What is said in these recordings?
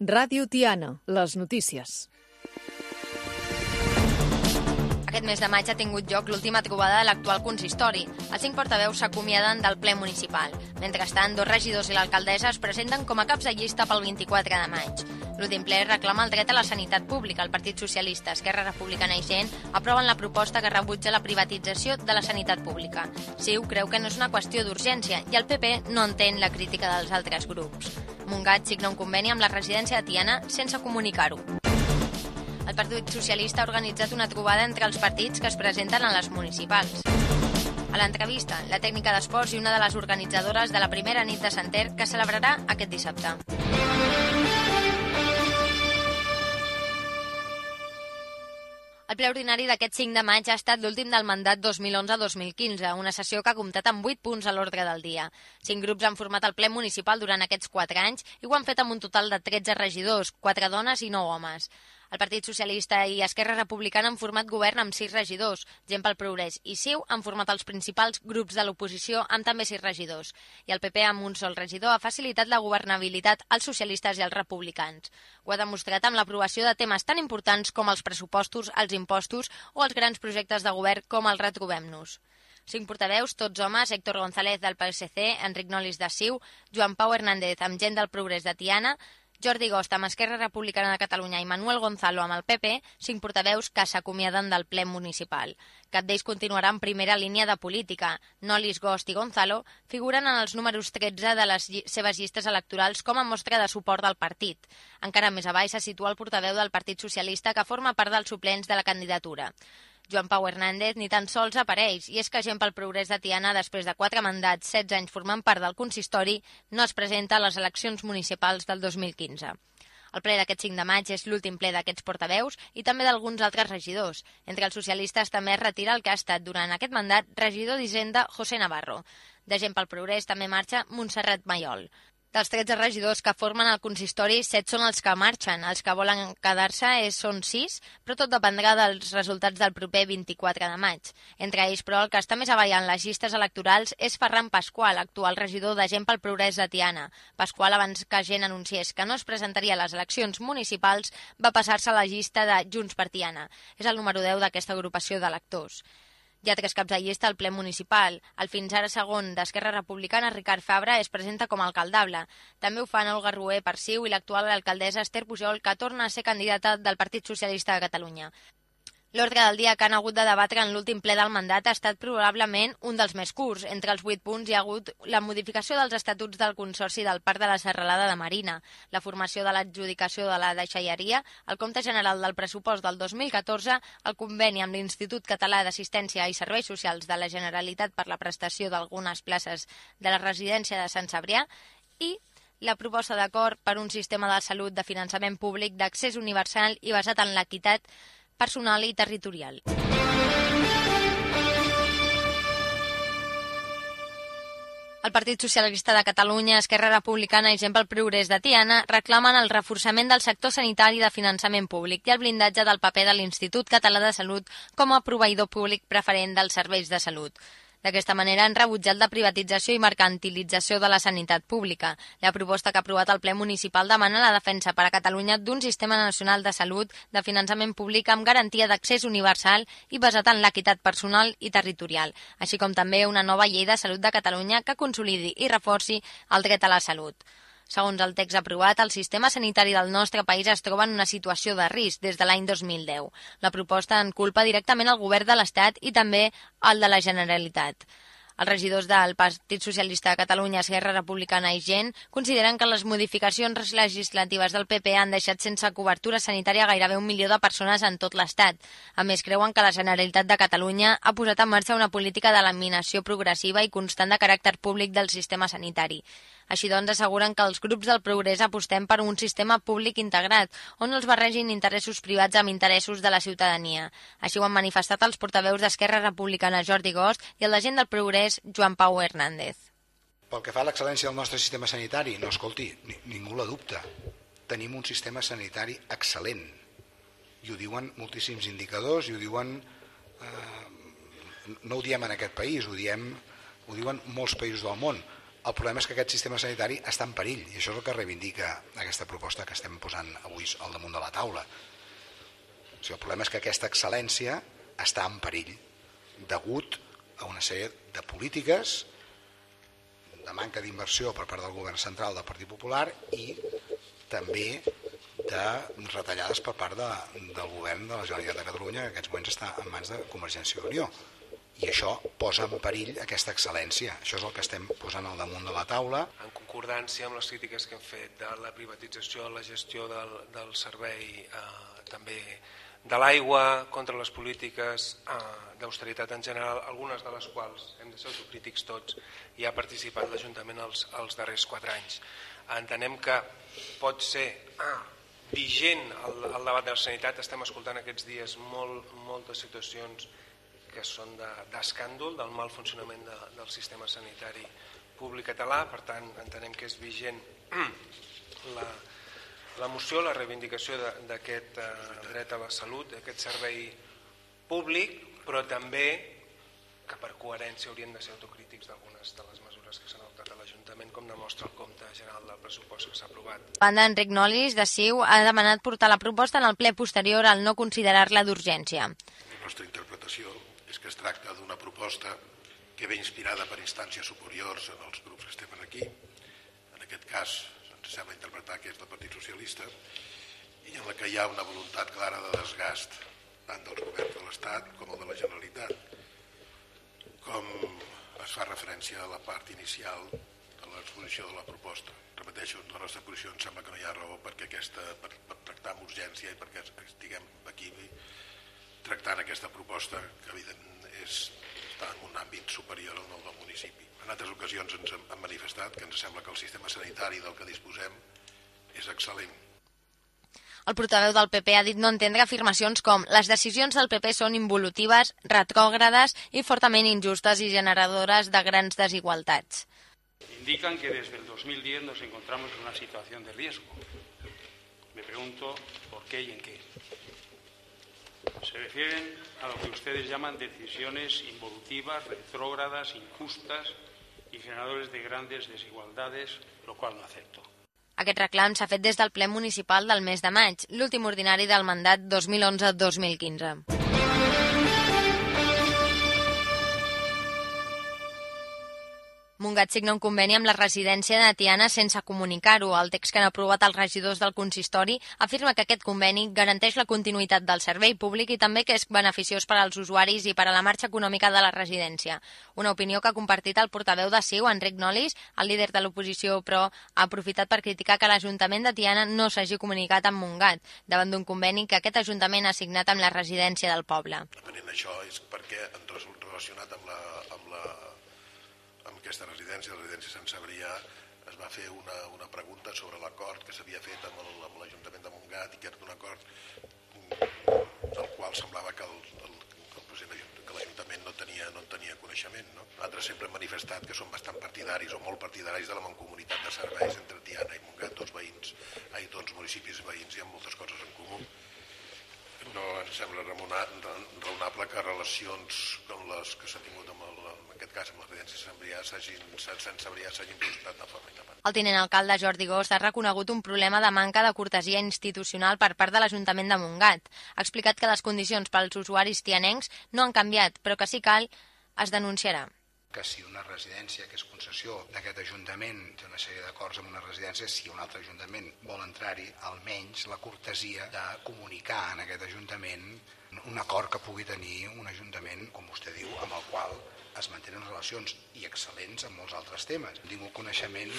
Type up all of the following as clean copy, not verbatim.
Ràdio Tiana, les notícies. Aquest mes de maig ha tingut lloc l'última trobada de l'actual consistori. Els 5 portaveus s'acomiaden del ple municipal. Mentrestant, 2 regidors i l'alcaldessa es presenten com a caps de llista pel 24 de maig. L'últim ple reclama el dret a la sanitat pública. El Partit Socialista, Esquerra Republicana i Gent aproven la proposta que rebutja la privatització de la sanitat pública. CiU creu que no és una qüestió d'urgència i el PP no entén la crítica dels altres grups. Montgat signa un conveni amb la residència de Tiana sense comunicar-ho. El Partit Socialista ha organitzat una trobada entre els partits que es presenten a les municipals. A l'entrevista, la tècnica d'esports i una de les organitzadores de la primera nit de Santer que celebrarà aquest dissabte. El ple ordinari d'aquest 5 de maig ha estat l'últim del mandat 2011-2015, una sessió que ha comptat amb 8 punts a l'ordre del dia. 5 grups han format el ple municipal durant aquests 4 anys i ho han fet amb un total de 13 regidors, 4 dones i 9 homes. El Partit Socialista i Esquerra Republicana han format govern amb 6 regidors, Gent pel Progrés i CiU han format els principals grups de l'oposició amb també 6 regidors. I el PP, amb un sol regidor, ha facilitat la governabilitat als socialistes i als republicans. Ho ha demostrat amb l'aprovació de temes tan importants com els pressupostos, els impostos o els grans projectes de govern com el Retrobem-nos. 5 portaveus, tots homes, Héctor González del PSC, Enric Nolis de CiU, Joan Pau Hernández amb Gent del Progrés de Tiana, Jordi Gost amb Esquerra Republicana de Catalunya i Manuel Gonzalo amb el PP, 5 portaveus que s'acomiaden del ple municipal. Cap d'ells continuarà en primera línia de política. Nolis, Gost i Gonzalo figuren en els números 13 de les seves llistes electorals com a mostra de suport del partit. Encara més avall se situa el portaveu del Partit Socialista que forma part dels suplents de la candidatura. Joan Pau Hernández ni tan sols apareix, i és que Gent pel Progrés de Tiana, després de 4 mandats, 16 anys formant part del consistori, no es presenta a les eleccions municipals del 2015. El ple d'aquest 5 de maig és l'últim ple d'aquests portaveus i també d'alguns altres regidors. Entre els socialistes també es retira el que ha estat durant aquest mandat regidor d'Hisenda José Navarro. De Gent pel Progrés també marxa Montserrat Mayol. Dels 13 regidors que formen el consistori, 7 són els que marxen. Els que volen quedar-se són 6, però tot dependrà dels resultats del proper 24 de maig. Entre ells, però, el que està més avall en les llistes electorals és Ferran Pasqual, actual regidor de Gent pel Progrés de Tiana. Pasqual, abans que Gent anunciés que no es presentaria a les eleccions municipals, va passar-se a la llista de Junts per Tiana. És el número 10 d'aquesta agrupació d'electors. Hi ha 3 caps de llista al ple municipal. El fins ara segon d'Esquerra Republicana, Ricard Fabra, es presenta com a alcaldable. També ho fan Olga Rué per CiU i l'actual alcaldessa Esther Pujol, que torna a ser candidata del Partit Socialista de Catalunya. L'ordre del dia que han hagut de debatre en l'últim ple del mandat ha estat probablement un dels més curts. Entre els 8 punts hi ha hagut la modificació dels estatuts del Consorci del Parc de la Serralada de Marina, la formació de l'adjudicació de la deixalleria, el compte general del pressupost del 2014, el conveni amb l'Institut Català d'Assistència i Serveis Socials de la Generalitat per la prestació d'algunes places de la residència de Sant Cebrià i la proposta d'acord per un sistema de salut de finançament públic d'accés universal i basat en l'equitat personal i territorial. El Partit Socialista de Catalunya, Esquerra Republicana i Gent pel Progrés de Tiana reclamen el reforçament del sector sanitari de finançament públic i el blindatge del paper de l'Institut Català de Salut com a proveïdor públic preferent dels serveis de salut. D'aquesta manera han rebutjat la privatització i mercantilització de la sanitat pública. La proposta que ha aprovat el ple municipal demana la defensa per a Catalunya d'un sistema nacional de salut de finançament públic amb garantia d'accés universal i basat en l'equitat personal i territorial, així com també una nova llei de salut de Catalunya que consolidi i reforci el dret a la salut. Segons el text aprovat, el sistema sanitari del nostre país es troba en una situació de risc des de l'any 2010. La proposta en culpa directament al govern de l'Estat i també al de la Generalitat. Els regidors del Partit Socialista de Catalunya, Esquerra Republicana i Gent consideren que les modificacions legislatives del PP han deixat sense cobertura sanitària gairebé 1 milió de persones en tot l'Estat. A més, creuen que la Generalitat de Catalunya ha posat en marxa una política d'eliminació progressiva i constant de caràcter públic del sistema sanitari. Així doncs, asseguren que els grups del progrés apostem per un sistema públic integrat, on els barregin interessos privats amb interessos de la ciutadania. Així ho han manifestat els portaveus d'Esquerra Republicana Jordi Gost i el de Gent del Progrés Joan Pau Hernández. Pel que fa a l'excel·lència del nostre sistema sanitari, no, escolti, ningú la dubta. Tenim un sistema sanitari excel·lent. I ho diuen moltíssims indicadors, i ho diuen... no ho diem en aquest país, ho diuen molts països del món. El problema és que aquest sistema sanitari està en perill, i això és el que reivindica aquesta proposta que estem posant avui al damunt de la taula. O sigui, el problema és que aquesta excel·lència està en perill degut a una sèrie de polítiques de manca d'inversió per part del govern central del Partit Popular i també de retallades per part del govern de la Generalitat de Catalunya, que en aquests moments està en mans de Convergència i Unió. I això posa en perill aquesta excel·lència. Això és el que estem posant al damunt de la taula. En concordància amb les crítiques que hem fet de la privatització, la gestió del servei, també de l'aigua, contra les polítiques d'austeritat en general, algunes de les quals hem de ser autocrítics tots, i ha participat l'Ajuntament els darrers 4 anys. Entenem que pot ser vigent el debat de la sanitat. Estem escoltant aquests dies moltes situacions que són d'escàndol del mal funcionament del sistema sanitari públic català. Per tant, entenem que és vigent la moció, la reivindicació d'aquest dret a la salut, d'aquest servei públic, però també que per coherència haurien de ser autocrítics d'algunes de les mesures que s'han adoptat a l'Ajuntament, com demostra el compte general del pressupost que s'ha aprovat. Banda, Enric Nolis, de CiU, ha demanat portar la proposta en el ple posterior al no considerar-la d'urgència. La nostra interpretació és que es tracta d'una proposta que ve inspirada per instàncies superiors en els grups que estem aquí. En aquest cas, ens sembla interpretar que és del Partit Socialista, i en la que hi ha una voluntat clara de desgast tant dels governs de l'Estat com el de la Generalitat. Com es fa referència a la part inicial de l'exposició de la proposta. Repeteixo, la nostra posició em sembla que no hi ha raó per tractar amb urgència i perquè estiguem aquí tractant aquesta proposta que evidentment està en un àmbit superior al del municipi. En altres ocasions ens hem manifestat que ens sembla que el sistema sanitari del que disposem és excel·lent. El portaveu del PP ha dit no entendre afirmacions com les decisions del PP són involutives, retrògrades i fortament injustes i generadores de grans desigualtats. Indican que desde el 2010 nos encontramos en una situación de riesgo. Me pregunto por qué y en qué. Se refieren a lo que ustedes llaman decisiones involutivas, retrógradas, injustas y generadores de grandes desigualdades, lo cual no acepto. Aquest reclam s'ha fet des del ple municipal del mes de maig, l'últim ordinari del mandat 2011-2015. Montgat signa un conveni amb la residència de Tiana sense comunicar-ho. El text que han aprovat els regidors del consistori afirma que aquest conveni garanteix la continuïtat del servei públic i també que és beneficiós per als usuaris i per a la marxa econòmica de la residència. Una opinió que ha compartit el portaveu de CiU, Enric Nolis. El líder de l'oposició, però, ha aprofitat per criticar que l'Ajuntament de Tiana no s'hagi comunicat amb Montgat, davant d'un conveni que aquest Ajuntament ha signat amb la residència del poble. Depenent d'això és perquè relacionat amb aquesta residència, la residència Sant Cebrià, es va fer una pregunta sobre l'acord que s'havia fet amb l'Ajuntament de Montgat i que era un acord del qual semblava que l'Ajuntament no en tenia coneixement. No? Nosaltres sempre hem manifestat que som bastant partidaris o molt partidaris de la mancomunitat de serveis entre Tiana i Montgat, dos municipis veïns, i amb moltes coses en comú. No ens sembla raonable que relacions com les que s'ha tingut en aquest cas amb la residència Sant Cebrià s'hagin presentat de forma independent. El tinent alcalde Jordi Gost ha reconegut un problema de manca de cortesia institucional per part de l'Ajuntament de Montgat. Ha explicat que les condicions pels usuaris tianencs no han canviat, però que si cal es denunciarà. Que si una residència que és concessió d'aquest Ajuntament té una sèrie d'acords amb una residència, si un altre Ajuntament vol entrar-hi, almenys la cortesia de comunicar en aquest Ajuntament un acord que pugui tenir un Ajuntament, com vostè diu, amb el qual es mantenen relacions i excel·lents en molts altres temes. Tinc un coneixement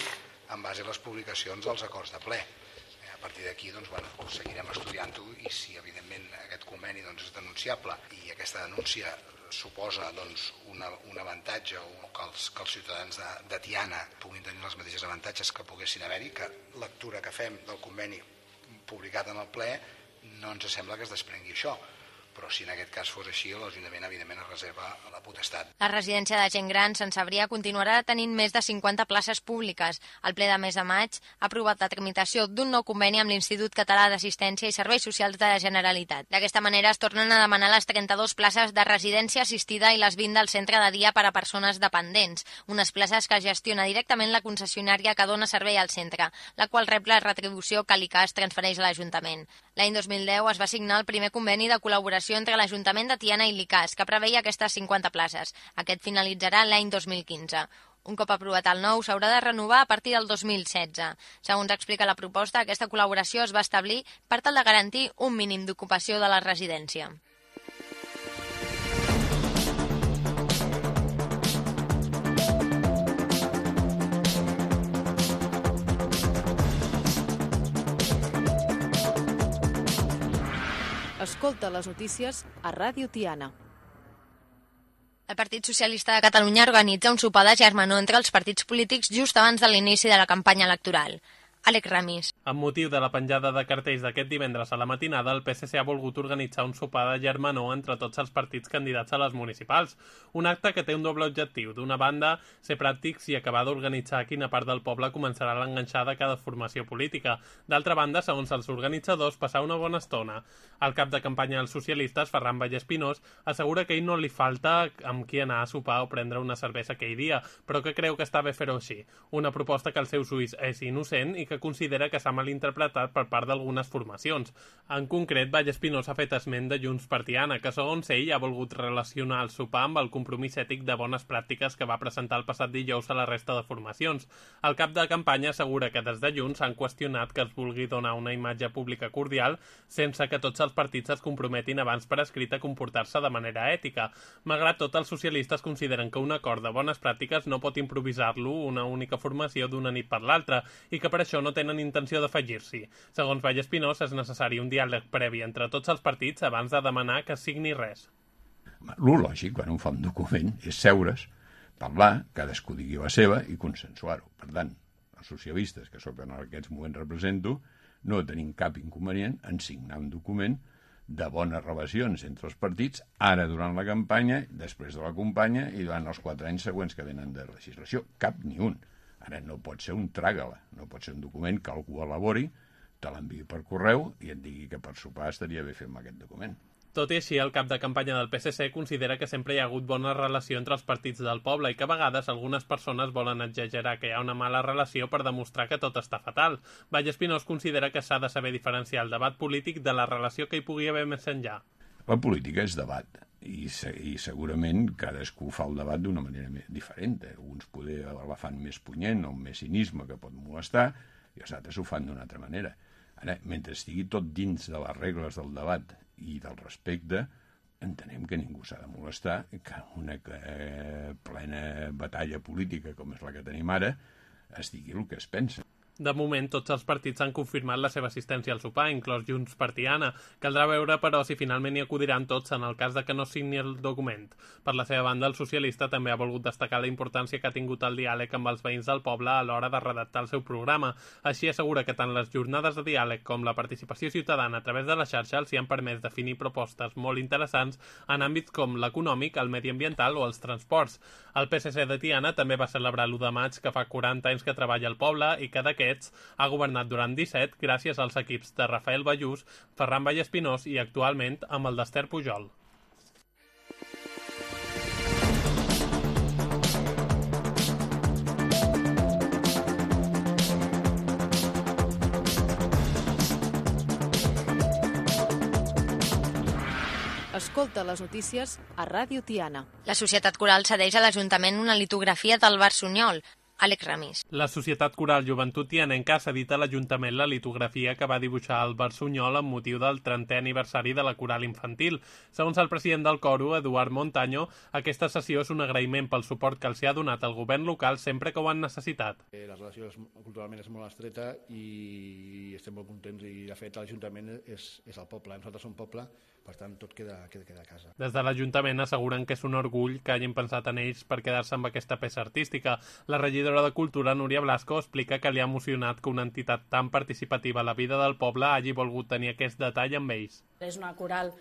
en base a les publicacions dels acords de ple. A partir d'aquí seguirem estudiant-ho i si evidentment aquest conveni és denunciable i aquesta denúncia suposa un avantatge o que els ciutadans de Tiana puguin tenir els mateixos avantatges que poguessin haver-hi, que lectura que fem del conveni publicat en el ple no ens sembla que es desprengui això. però si en aquest cas fos així, l'Ajuntament evidentment es reserva la potestat. La residència de gent gran Sant Cebrià continuarà tenint més de 50 places públiques. El ple de mes de maig ha aprovat la tramitació d'un nou conveni amb l'Institut Català d'Assistència i Serveis Socials de la Generalitat. D'aquesta manera es tornen a demanar les 32 places de residència assistida i les 20 del centre de dia per a persones dependents, unes places que gestiona directament la concessionària que dona servei al centre, la qual rep la retribució que l'ICAS transfereix a l'Ajuntament. L'any 2010 es va signar el primer conveni de col·laboració entre l'Ajuntament de Tiana i l'ICAS, que preveia aquestes 50 places. Aquest finalitzarà l'any 2015. Un cop aprovat el nou, s'haurà de renovar a partir del 2016. Segons explica la proposta, aquesta col·laboració es va establir per tal de garantir un mínim d'ocupació de la residència. Escolta les notícies a Ràdio Tiana. El Partit Socialista de Catalunya organitza un sopar de germanor entre els partits polítics just abans de l'inici de la campanya electoral. Àlex Ramis. Amb motiu de la penjada de cartells d'aquest divendres a la matinada, el PSC ha volgut organitzar un sopar de germanor entre tots els partits candidats a les municipals. Un acte que té un doble objectiu. D'una banda, ser pràctics i acabar d'organitzar a quina part del poble començarà l'enganxada de cada formació política. D'altra banda, segons els organitzadors, passar una bona estona. El cap de campanya dels socialistes, Ferran Vallespinós, assegura que a ell no li falta amb qui anar a sopar o prendre una cervesa aquell dia, però que creu que està bé fer-ho així. Una proposta que als seus ulls és innocent i que considera que s'ha malinterpretat per part d'algunes formacions. En concret, Vallespinós ha fet esment de Junts per Tiana, que segons ell ha volgut relacionar el sopar amb el compromís ètic de bones pràctiques que va presentar el passat dijous a la resta de formacions. El cap de campanya assegura que des de Junts han qüestionat que es vulgui donar una imatge pública cordial sense que tots els partits es comprometin abans per escrit a comportar-se de manera ètica. Malgrat tot, els socialistes consideren que un acord de bones pràctiques no pot improvisar-lo una única formació d'una nit per l'altra i que per això no tenen intenció d'afegir-s'hi. Segons Vallespinós, és necessari un diàleg previ entre tots els partits abans de demanar que es signi res. Lo lògic, quan un fa un document, és seure's, parlar, cadascú digui la seva i consensuar-ho. Per tant, els socialistes, que sóc en aquests moments represento, no tenim cap inconvenient en signar un document de bones relacions entre els partits, ara durant la campanya, després de la campanya i durant els 4 anys següents que venen de legislació. Cap ni un. Ara no pot ser un tràgala, no pot ser un document que algú elabori, te l'enviï per correu i et digui que per sopar estaria bé fer-me aquest document. Tot i així, el cap de campanya del PSC considera que sempre hi ha hagut bona relació entre els partits del poble i que a vegades algunes persones volen exagerar que hi ha una mala relació per demostrar que tot està fatal. Vallespinós considera que s'ha de saber diferenciar el debat polític de la relació que hi pugui haver més enllà. La política és debat i segurament cadascú fa el debat d'una manera diferent. Uns poder la fan més punyent o amb més cinisme que pot molestar i els altres ho fan d'una altra manera. Ara, mentre estigui tot dins de les regles del debat i del respecte, entenem que ningú s'ha de molestar que una plena batalla política com és la que tenim ara es digui el que es pensa. De moment, tots els partits han confirmat la seva assistència al sopar, inclòs Junts per Tiana. Caldrà veure, però, si finalment hi acudiran tots en el cas de que no signi el document. Per la seva banda, el socialista també ha volgut destacar la importància que ha tingut el diàleg amb els veïns del poble a l'hora de redactar el seu programa. Així assegura que tant les jornades de diàleg com la participació ciutadana a través de la xarxa els hi han permès definir propostes molt interessants en àmbits com l'econòmic, el mediambiental o els transports. El PSC de Tiana també va celebrar l'1 de maig, que fa 40 anys que treballa al poble i que d'aquest ha governat durant 17 gràcies als equips de Rafael Ballús, Ferran Vallespinós i actualment amb el d'Esther Pujol. Escolta les notícies a Ràdio Tiana. La Societat Coral cedeix a l'Ajuntament una litografia del Barçunyol. Àlex Ramis. La Societat Coral Joventut Tianenca ha cedit a l'Ajuntament la litografia que va dibuixar el Barçunyol amb motiu del 30è aniversari de la coral infantil. Segons el president del coro, Eduard Montaño, aquesta sessió és un agraïment pel suport que els ha donat el govern local sempre que ho han necessitat. La relació culturalment és molt estreta i estem molt contents i, de fet, l'Ajuntament és el poble. Nosaltres som poble, per tant, tot queda a casa. Des de l'Ajuntament asseguren que és un orgull que hagin pensat en ells per quedar-se amb aquesta peça artística. La regidora de Cultura, Núria Blasco, explica que li ha emocionat que una entitat tan participativa a la vida del poble hagi volgut tenir aquest detall amb ells. És una coral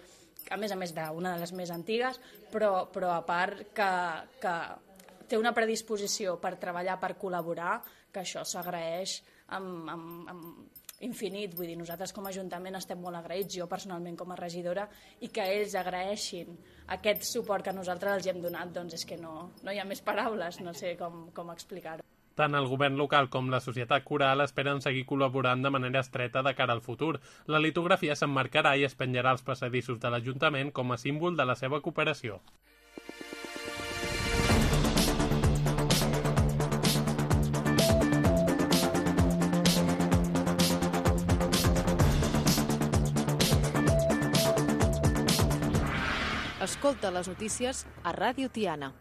a més d'una de les més antigues, però a part que té una predisposició per treballar, per col·laborar, que això s'agraeix amb infinit. Vull dir, nosaltres com a Ajuntament estem molt agraïts, jo personalment com a regidora, i que ells agraeixin aquest suport que nosaltres els hem donat, doncs és que no hi ha més paraules, no sé com explicar-ho. Tant el govern local com la societat coral esperen seguir col·laborant de manera estreta de cara al futur. La litografia s'emmarcarà i es penjarà als passadissos de l'Ajuntament com a símbol de la seva cooperació. Escolta les notícies a Ràdio Tiana.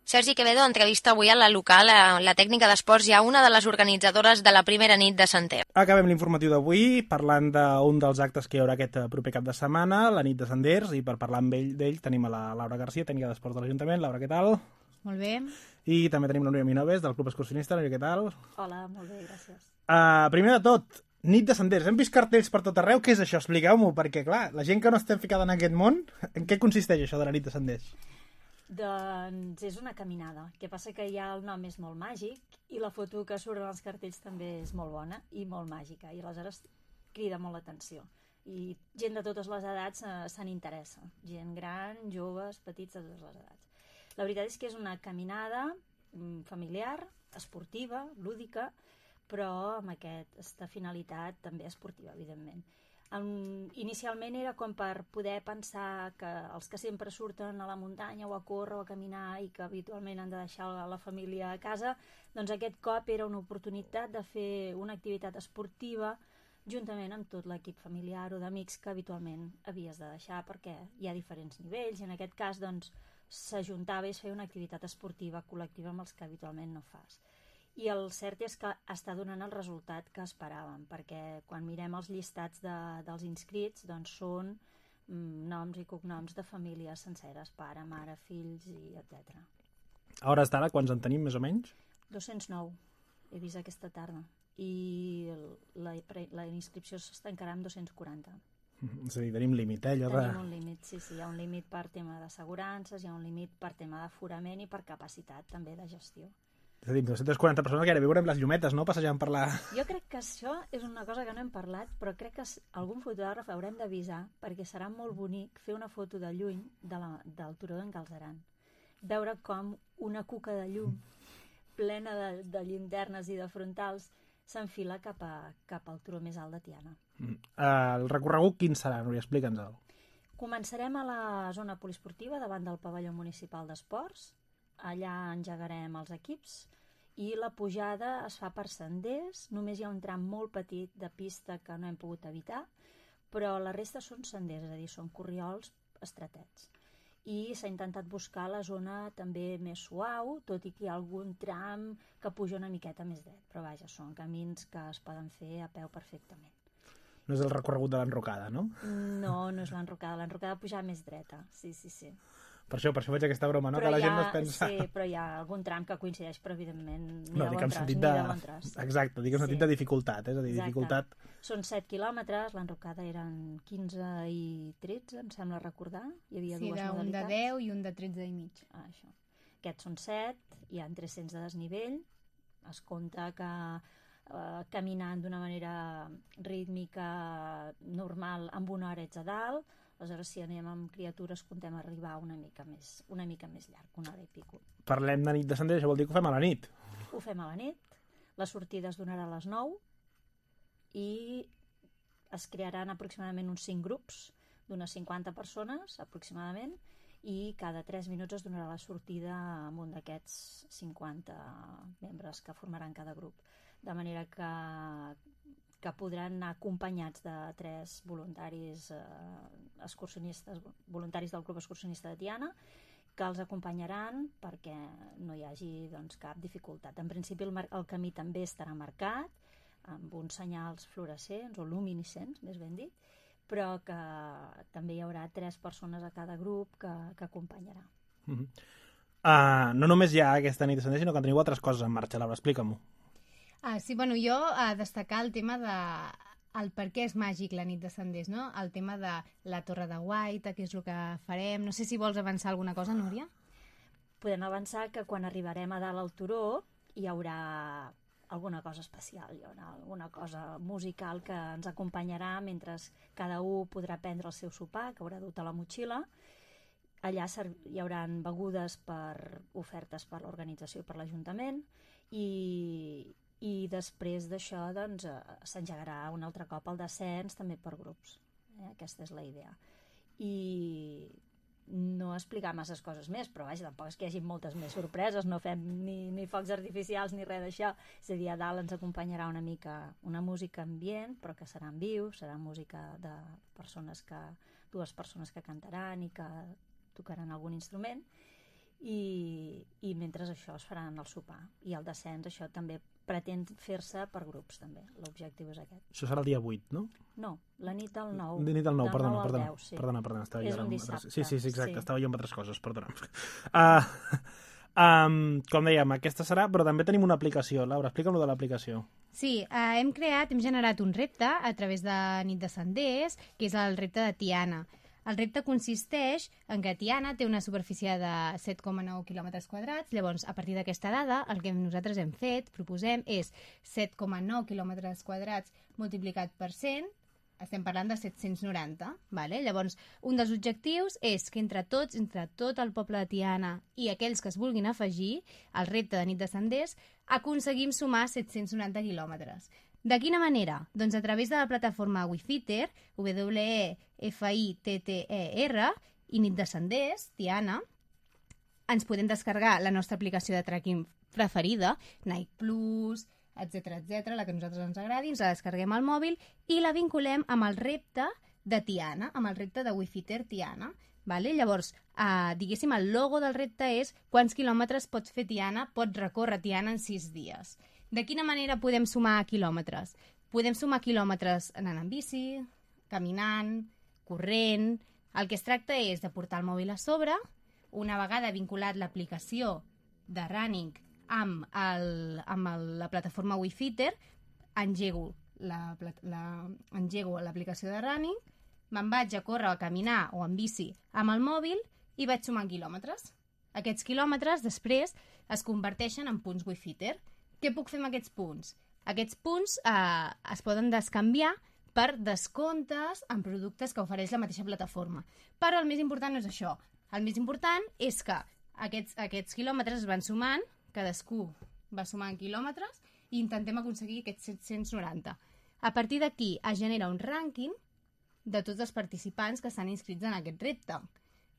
Sergi Quevedo entrevista avui a la local, la tècnica d'esports, ja una de les organitzadores de la primera nit de Sender. Acabem l'informatiu d'avui parlant d'un dels actes que hi haurà aquest proper cap de setmana, la nit de Senders, i per parlar amb d'ell tenim a la Laura Garcia, tècnica d'esports de l'Ajuntament. Laura, què tal? Molt bé. I també tenim la Núria Minoves, del Club Excursionista. Núria, què tal? Hola, molt bé, gràcies. Primer de tot, nit de Senders. Hem vist cartells per tot arreu. Què és això? Expliqueu-m'ho, perquè, clar, la gent que no estem ficada en aquest món, en què consisteix això de la nit de Senders? Doncs és una caminada. El que passa que ja el nom és molt màgic i la foto que surt en els cartells també és molt bona i molt màgica, i aleshores crida molt l'atenció. I gent de totes les edats se n'interessa. Gent gran, joves, petits, de totes les edats. La veritat és que és una caminada familiar, esportiva, lúdica, però amb aquesta finalitat també esportiva, evidentment. Inicialment era com per poder pensar que els que sempre surten a la muntanya o a córrer o a caminar i que habitualment han de deixar la família a casa, doncs aquest cop era una oportunitat de fer una activitat esportiva juntament amb tot l'equip familiar o d'amics que habitualment havies de deixar, perquè hi ha diferents nivells i en aquest cas doncs s'ajuntava i es feia una activitat esportiva col·lectiva amb els que habitualment no fas. I el cert és que està donant el resultat que esperàvem, perquè quan mirem els llistats dels inscrits, doncs són noms i cognoms de famílies senceres, pare, mare, fills, i etc. A hores d'ara, quants en tenim, més o menys? 209, he vist aquesta tarda. I la inscripció s'estancarà amb 240. És a dir, tenim límit, Tenim un límit, sí, hi ha un límit per tema d'assegurances, hi ha un límit per tema d'aforament i per capacitat també de gestió. És a dir, 240 persones que ara veurem les llumetes, no?, passejant per la... Jo crec que això és una cosa que no hem parlat, però crec que algun fotògraf haurem d'avisar, perquè serà molt bonic fer una foto de lluny del turó d'en Galzeran. Veure com una cuca de llum plena de llinternes i de frontals s'enfila cap al turó més alt de Tiana. El recorregut quin serà, Núria? Explica'ns-el. Començarem a la zona poliesportiva davant del pavelló municipal d'esports. Allà engegarem els equips i la pujada es fa per senders. Només hi ha un tram molt petit de pista que no hem pogut evitar, però la resta són senders, és a dir, són corriols estretets. I s'ha intentat buscar la zona també més suau, tot i que hi ha algun tram que puja una miqueta més dret, però vaja, són camins que es poden fer a peu perfectament. No és el recorregut de l'enrocada, no? No és l'enrocada puja més dreta, sí. Per això faig aquesta broma, no? Però que la gent no es pensa... Sí, però hi ha algun tram que coincideix, però evidentment ni no, de bon tros. Exacte, dic en sentit de dificultat, és a dir, dificultat... Són 7 quilòmetres, l'enrocada eren 15 i 13, em sembla recordar. Hi havia dues modalitats. Sí, un de 10 i un de 13 i mig. Això. Aquests són 7, hi ha 300 de desnivell, es compta que caminant d'una manera rítmica normal amb una hora ets a dalt. Aleshores, si anem amb criatures, contem arribar una mica més llarg, una hora i pico. Parlem de nit de Senders, això vol dir que ho fem a la nit. Ho fem a la nit, la sortida es donarà a les 9 i es crearan aproximadament uns 5 grups d'unes 50 persones, aproximadament, i cada 3 minuts es donarà la sortida amb un d'aquests 50 membres que formaran cada grup. De manera que podran anar acompanyats de 3 voluntaris excursionistes, voluntaris del Club Excursionista de Tiana, que els acompanyaran perquè no hi hagi cap dificultat. En principi el camí també estarà marcat amb uns senyals fluorescents o luminescents, més ben dit, però que també hi haurà 3 persones a cada grup que acompanyarà. No només hi ha aquesta nit de Senders, sinó que teniu altres coses en marxa. Laura, explica-m'ho. Sí, jo destacar el tema de el per què és màgic la nit de Senders, no? El tema de la Torre de Guaita, què és el que farem... No sé si vols avançar alguna cosa, Núria? Podem avançar que quan arribarem a dalt al turó hi haurà alguna cosa especial, hi haurà alguna cosa musical que ens acompanyarà mentre cada un podrà prendre el seu sopar, que haurà dut a la motxilla. Allà hi haurà begudes ofertes per l'organització i per l'Ajuntament i després d'això doncs, s'engegarà un altre cop el descens també per grups. Aquesta és la idea. I no explicar masses coses més, però vaja, tampoc és que hi hagi moltes més sorpreses, no fem ni focs artificials ni res d'això. És a dir, a dalt ens acompanyarà una mica una música ambient, però que serà en viu, serà música de dues persones que cantaran i que tocaran algun instrument, i mentre això es faran el sopar. I el descens, això també pretén fer-se per grups, també. L'objectiu és aquest. Això serà el dia 8, no? No, la nit del 9. La nit del 9, perdona. 10, sí. Perdona, estava és un dissabte. Sí, exacte, sí. Estava jo amb altres coses, perdona. Com dèiem, aquesta serà, però també tenim una aplicació. Laura, explica'm lo de l'aplicació. Sí, hem generat un repte a través de Nit de Senders, que és el repte de Tiana. El repte consisteix en que Tiana té una superfície de 7,9 quilòmetres quadrats, llavors, a partir d'aquesta dada, el que nosaltres proposem és 7,9 quilòmetres quadrats multiplicat per 100, estem parlant de 790, vale? Llavors, un dels objectius és que entre tot el poble de Tiana i aquells que es vulguin afegir al repte de Nit de Senders, aconseguim sumar 790 quilòmetres. De quina manera? Doncs a través de la plataforma WeFitter, WeFitter, i Nit de Senders, Tiana, ens podem descarregar la nostra aplicació de tracking preferida, Nike Plus, etc, la que a nosaltres ens agradi, ens la descarreguem al mòbil i la vinculem amb el repte de Tiana, amb el repte de WeFitter Tiana. Vale? Llavors, diguéssim, el logo del repte és quants quilòmetres pot recórrer Tiana en 6 dies. De quina manera podem sumar quilòmetres? Podem sumar quilòmetres anant en bici, caminant, corrent... El que es tracta és de portar el mòbil a sobre, una vegada vinculat l'aplicació de running amb la plataforma WeFitter, engego l'aplicació de running, me'n vaig a córrer o a caminar o en bici amb el mòbil i vaig sumant quilòmetres. Aquests quilòmetres després es converteixen en punts WeFitter. Què puc fer amb aquests punts? Aquests punts es poden descanviar per descomptes en productes que ofereix la mateixa plataforma. Però el més important no és això. El més important és que aquests quilòmetres es van sumant, cadascú va sumant quilòmetres i intentem aconseguir aquests 790. A partir d'aquí es genera un rànquing de tots els participants que estan inscrits en aquest repte.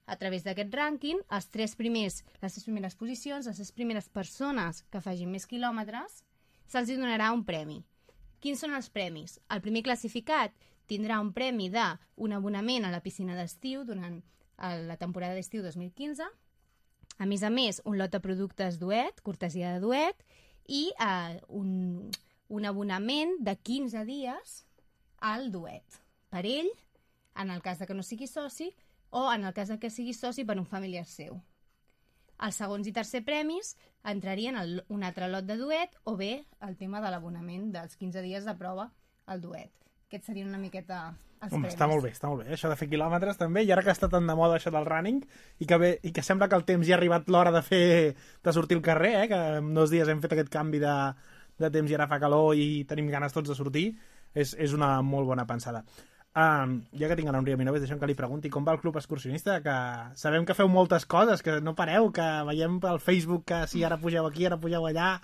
A través d'aquest rànquing, les 3 primeres posicions, les 3 primeres persones que facin més quilòmetres, se'ls donarà un premi. Quins són els premis? El primer classificat tindrà un premi d'un abonament a la piscina d'estiu durant la temporada d'estiu 2015, a més, un lot de productes Duet, cortesia de Duet, i un abonament de 15 dies al Duet. Per ell, en el cas que no sigui soci, o en el cas que sigui soci per un familiar seu. Els segons i tercer premis entrarien un altre lot de Duet o bé el tema de l'abonament dels 15 dies de prova al Duet. Aquests serien una miqueta els premis. Està molt bé, això de fer quilòmetres també, i ara que està tan de moda això del running i que sembla que el temps ja ha arribat l'hora de sortir al carrer, que en 2 dies hem fet aquest canvi de temps i ara fa calor i tenim ganes tots de sortir, és una molt bona pensada. Ja que tinc a l'Enric Minoves, deixem que li pregunti com va el Club Excursionista, que sabem que feu moltes coses, que no pareu, que veiem pel Facebook que si ara pugeu aquí, ara pugeu allà.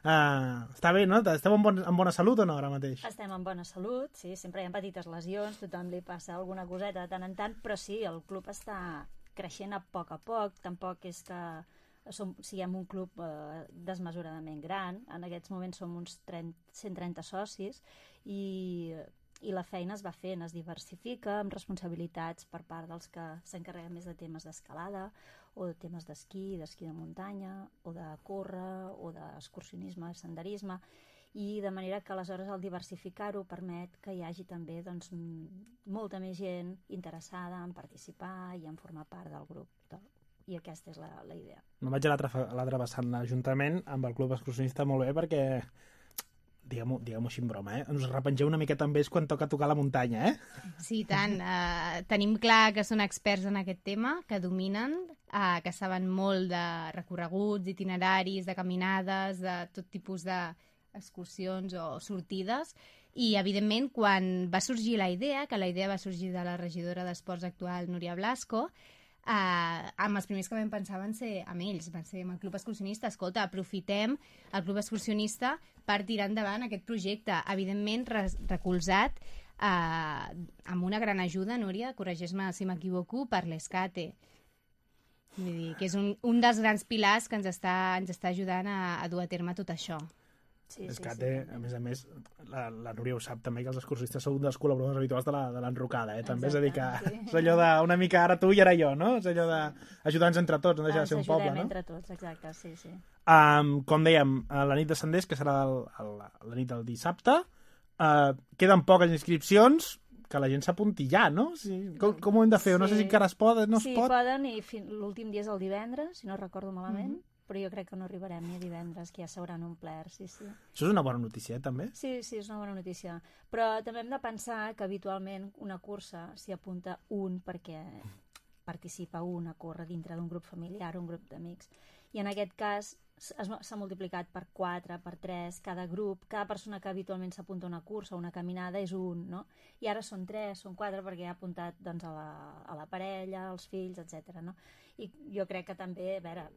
Està bé, no? Esteu en bona salut o no ara mateix? Estem en bona salut, sí, sempre hi ha petites lesions, tothom li passa alguna coseta de tant en tant, però sí, el club està creixent a poc, tampoc és que siguem un club desmesuradament gran, en aquests moments som uns 130 socis i la feina es va fent, es diversifica amb responsabilitats per part dels que s'encarreguen més de temes d'escalada o de temes d'esquí de muntanya o de córrer o d'excursionisme, senderisme, i de manera que aleshores el diversificar-ho permet que hi hagi també doncs, molta més gent interessada en participar i en formar part del grup. I aquesta és la idea. No vaig a l'altre vessant l'Ajuntament amb el Club Excursionista molt bé perquè diguem-ho així en broma, ens repengeu una miqueta amb ells quan toca tocar la muntanya, Sí, tant. Tenim clar que són experts en aquest tema, que dominen, que saben molt de recorreguts, itineraris, de caminades, de tot tipus d'excursions o sortides, i, evidentment, quan va sorgir la idea, que la idea va sorgir de la regidora d'Esports actual, Núria Blasco, amb els primers que vam pensar van ser amb ells, van ser amb el Club Excursionista. Escolta, aprofitem el Club Excursionista per tirar endavant aquest projecte, evidentment recolzat amb una gran ajuda, Núria, corregeix-me si m'equivoco, per l'Escate. Vull dir, que és un dels grans pilars que ens està ajudant a dur a terme tot això. L'Escate, a més, la Núria ho sap també, que els excursionistes són un dels col·laboradors habituals de l'enrocada, també. És a dir, que és allò d'una mica ara tu i ara jo, no? És allò d'ajudar-nos entre tots, no deixar de ser un poble, no? Ens ajudem entre tots, exacte, sí. Com dèiem, la nit de Senders, que serà la nit del dissabte, queden poques inscripcions, que la gent s'apunti ja, no? Com ho hem de fer? No sé si encara es pot, no es pot? Sí, poden, i l'últim dia és el divendres, si no recordo malament, però jo crec que no arribarem ni a divendres, que ja s'hauran omplert, sí. Això és una bona notícia, també? Sí, és una bona notícia. Però també hem de pensar que habitualment una cursa s'hi apunta un perquè participa un a córrer dintre d'un grup familiar, un grup d'amics. I en aquest cas s'ha multiplicat per 4, per 3, cada grup, cada persona que habitualment s'apunta a una cursa o una caminada és un, no? I ara són 3, són 4, perquè ha apuntat doncs, a la parella, als fills, etc. No? I jo crec que també, a veure,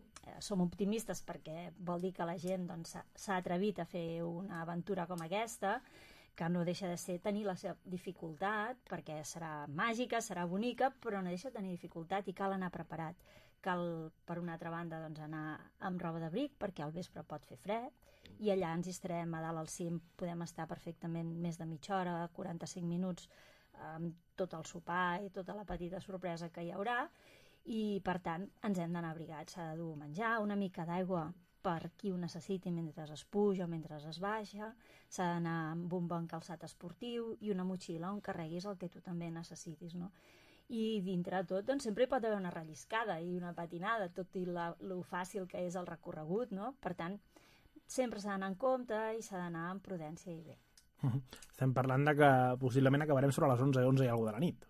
som optimistes perquè vol dir que la gent doncs, s'ha atrevit a fer una aventura com aquesta, que no deixa de ser tenir la seva dificultat, perquè serà màgica, serà bonica, però no deixa de tenir dificultat i cal anar preparat. Cal, per una altra banda, doncs, anar amb roba d'abric, perquè al vespre pot fer fred, i allà ens hi estarem a dalt al cim, podem estar perfectament més de mitja hora, 45 minuts, amb tot el sopar i tota la petita sorpresa que hi haurà, i, per tant, ens hem d'anar abrigats. S'ha de dur menjar, una mica d'aigua per qui ho necessiti mentre es puja o mentre es baixa, s'ha d'anar amb un bon calçat esportiu i una motxilla on carreguis el que tu també necessitis, no? I dintre de tot, doncs, sempre hi pot haver una relliscada i una patinada, tot i lo fàcil que és el recorregut, no? Per tant, sempre s'ha d'anar en compte i s'ha d'anar amb prudència i bé. Estem parlant de que possiblement acabarem sobre les 11 i alguna de la nit.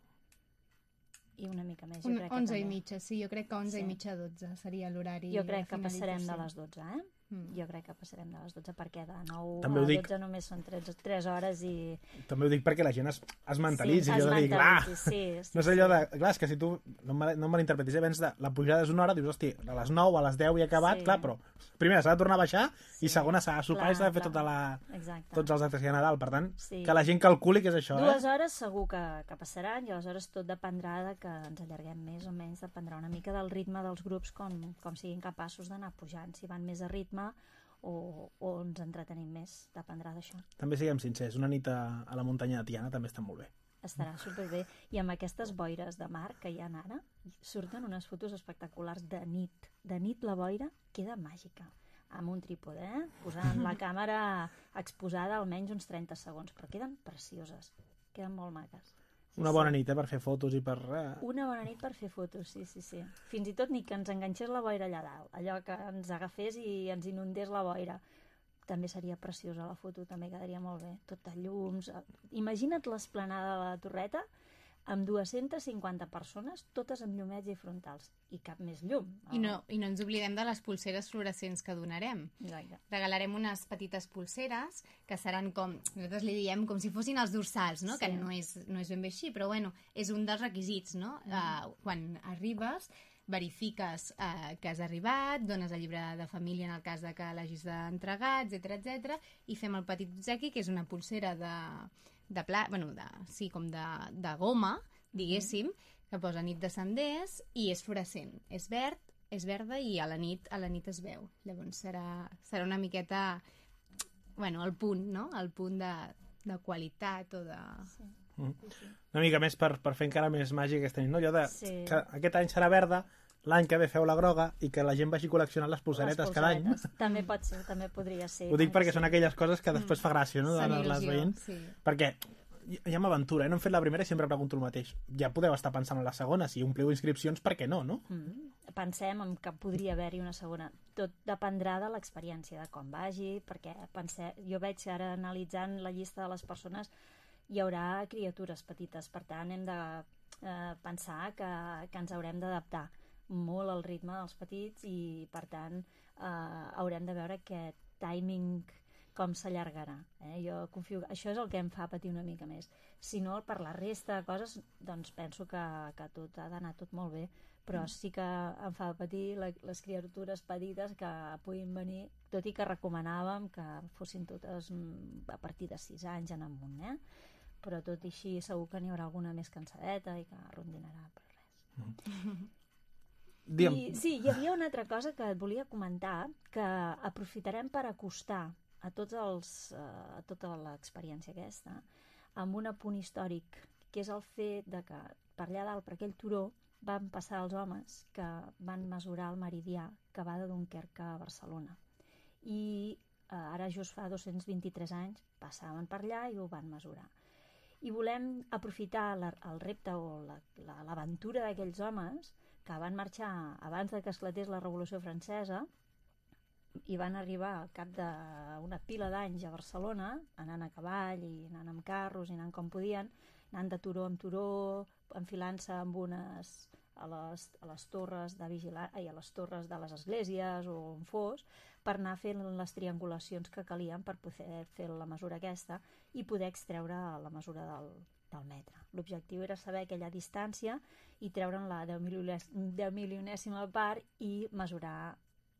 I una mica més, jo crec que 11 i mitja, sí, jo crec que 11 i mitja 12 seria l'horari. Jo crec que passarem de les 12, Jo crec que passarem de les 12, perquè de 9 també a 12 només són 3 hores i... També ho dic perquè la gent es mentalitzi. Sí, es mentalitzi, sí. No és allò de... Clar, és que si tu no em malinterpretis, abans de la pujada és una hora, dius, hosti, a les 9, a les 10 i he acabat, clar, però primera s'ha de tornar a baixar i segona s'ha de sopar i s'ha de fer tots els actes que hi ha a Nadal. Per tant, que la gent calculi que és això. 2 hores segur que passaran i aleshores tot dependrà de que ens allarguem més o menys, dependrà una mica del ritme dels grups, com siguin capaços d'anar pujant, si van més a ritme o ens entretenim més, dependrà d'això. També siguem sincers, una nit a la muntanya de Tiana també està molt bé. Estarà superbé. I amb aquestes boires de mar que hi ha ara, surten unes fotos espectaculars de nit. De nit la boira queda màgica. Amb un trípode, posant la càmera exposada almenys uns 30 segons, però queden precioses. Queden molt maques. Una bona nit, per fer fotos i per... Una bona nit per fer fotos, sí. Fins i tot ni que ens enganxés la boira allà dalt, allò que ens agafés i ens inundés la boira. També seria preciosa la foto, també quedaria molt bé. Tot de llums... Imagina't l'esplanada de la Torreta amb 250 persones, totes amb llumets i frontals. I cap més llum. I no ens oblidem de les pulseres fluorescents que donarem. Exacte. Regalarem unes petites pulseres que seran com, nosaltres li diem, com si fossin els dorsals, no? Sí. Que no és ben bé així, però bueno, és un dels requisits, no? Quan arribes, verifiques que has arribat, dones el llibre de família en el cas de que l'hagis d'entregar, etc, i fem el petit obsequi, que és una pulsera de goma, diguéssim, que posa nit de Senders i és fluorescent. És verd, és verda i a la nit es veu. Llavors serà una miqueta, el punt, no? El punt de qualitat o de... Sí. Una mica més per fer encara més màgic aquesta nit, no? Allò de que aquest any serà verda, l'any que ve feu la groga i que la gent vagi col·leccionant les pulseretes cada any. També pot ser, també podria ser. Ho dic perquè són aquelles coses que després fa gràcia, no? Fan il·lusió, sí. Perquè ja m'aventura, no hem fet la primera i sempre pregunto el mateix. Ja podeu estar pensant en la segona, si ompliu inscripcions, per què no, no? Pensem en que podria haver-hi una segona. Tot dependrà de l'experiència, de com vagi, perquè jo veig ara analitzant la llista de les persones, hi haurà criatures petites, per tant hem de pensar que ens haurem d'adaptar molt al ritme dels petits i per tant haurem de veure aquest timing com s'allargarà. Jo confio que això és el que em fa patir una mica més. Si no, per la resta de coses, doncs penso que tot ha d'anar tot molt bé, però sí que em fa patir les criatures petites que puguin venir, tot i que recomanàvem que fossin totes a partir de 6 anys en amunt, però tot i així segur que n'hi haurà alguna més cansadeta i que rondinarà per res. Sí, hi havia una altra cosa que et volia comentar, que aprofitarem per acostar a tota l'experiència aquesta amb un apunt històric, que és el fet de que per allà dalt, per aquell turó, van passar els homes que van mesurar el meridià que va de Dunkerque a Barcelona. I ara just fa 223 anys passaven per allà i ho van mesurar. I volem aprofitar el repte o l'aventura d'aquells homes que van marxar abans que esclatés la Revolució Francesa i van arribar al cap d'una pila d'anys a Barcelona, anant a cavall i anant amb carros i anant com podien, anant de turó en turó, enfilant-se amb a les torres de vigilància i a les torres de les esglésies o on fos, per anar fent les triangulacions que calien per poder fer la mesura aquesta i poder extreure la mesura del metre. L'objectiu era saber aquella distància i treure'n la 10 milionèsima part i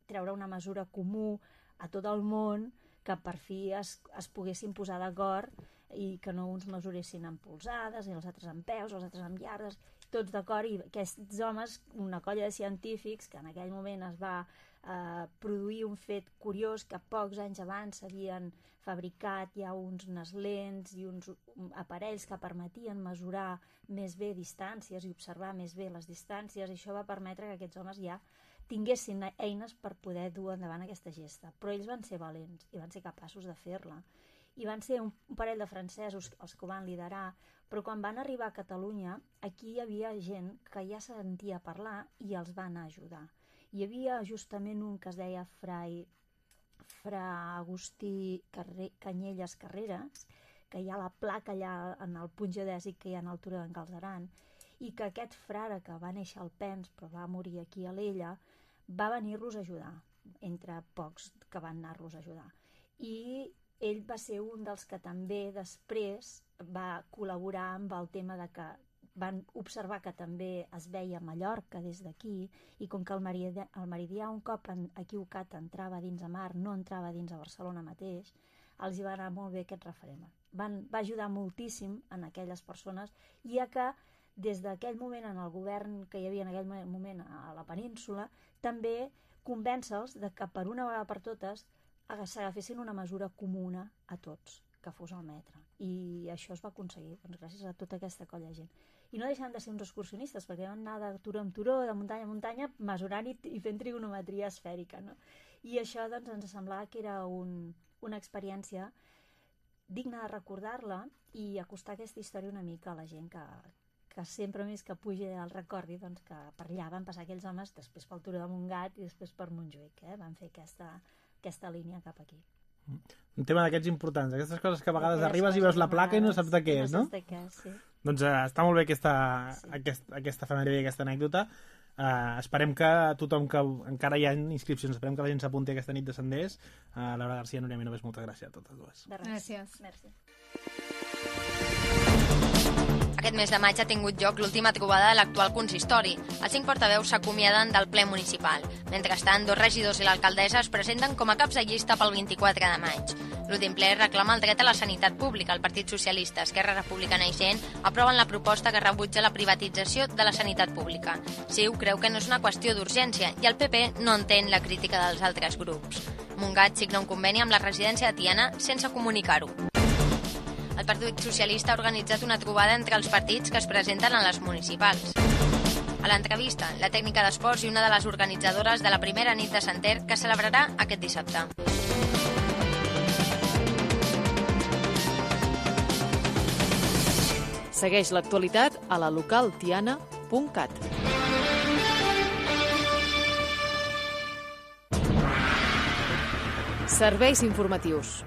treure una mesura comú a tot el món que per fi es poguessin posar d'acord i que no uns mesuressin en polzades i els altres en peus, els altres en iardes, tots d'acord, i aquests homes, una colla de científics que en aquell moment es va produir un fet curiós que pocs anys abans s'havien fabricat ja unes lents i uns aparells que permetien mesurar més bé distàncies i observar més bé les distàncies, i això va permetre que aquests homes ja tinguessin eines per poder dur endavant aquesta gesta. Però ells van ser valents i van ser capaços de fer-la. I van ser un parell de francesos els que ho van liderar, però quan van arribar a Catalunya, aquí hi havia gent que ja sentia parlar i els va anar a ajudar. Hi havia justament un que es deia Fra Agustí Canyelles Carreras, que hi ha la placa allà en el punt geodèsic que hi ha en el turó d'en Galceran, i que aquest frare que va néixer al Pens però va morir aquí a l'Ella va venir-los a ajudar, entre pocs que van anar-los a ajudar. I ell va ser un dels que també després va col·laborar amb el tema de que van observar que també es veia Mallorca des d'aquí, i com que el meridià un cop equivocat entrava dins a mar, no entrava dins a Barcelona mateix, els hi va anar molt bé aquest referent. Va ajudar moltíssim en aquelles persones, i a que des d'aquell moment en el govern que hi havia en aquell moment a la península, també convèncer-los de que per una vegada per totes s'agafessin una mesura comuna a tots, que fos el metre. I això es va aconseguir, doncs, gràcies a tota aquesta colla de gent. I no deixen de ser uns excursionistes, perquè van anar de turó en turó, de muntanya en muntanya, mesurant i fent trigonometria esfèrica, no? I això doncs, ens semblava que era una experiència digna de recordar-la i acostar aquesta història una mica a la gent que sempre més que pugi el recordi, doncs, que per allà van passar aquells homes, després pel turó de Montgat i després per Montjuïc, van fer aquesta línia cap aquí. Un tema d'aquests importants, aquestes coses que a vegades arribes i veus la placa i no saps de què és, no? No saps de què és, sí. Doncs està molt bé aquesta efemèride i aquesta anècdota. Esperem que tothom que encara hi ha inscripcions, esperem que la gent s'apunti aquesta nit de Senders. Laura García, Núria Minovés, moltes gràcies a totes dues. Gràcies. Merci. Aquest mes de maig ha tingut lloc l'última trobada de l'actual consistori. Els 5 portaveus s'acomiaden del ple municipal. Mentrestant, 2 regidors i l'alcaldessa es presenten com a caps de llista pel 24 de maig. L'últim ple reclama el dret a la sanitat pública. El Partit Socialista, Esquerra Republicana i Gent aproven la proposta que rebutja la privatització de la sanitat pública. CiU creu que no és una qüestió d'urgència i el PP no entén la crítica dels altres grups. Montgat signa un conveni amb la residència de Tiana sense comunicar-ho. El Partit Socialista ha organitzat una trobada entre els partits que es presenten a les municipals. A l'entrevista, la tècnica d'esports i una de les organitzadores de la primera nit de Santer, que celebrarà aquest dissabte. Segueix l'actualitat a la localtiana.cat. Serveis informatius.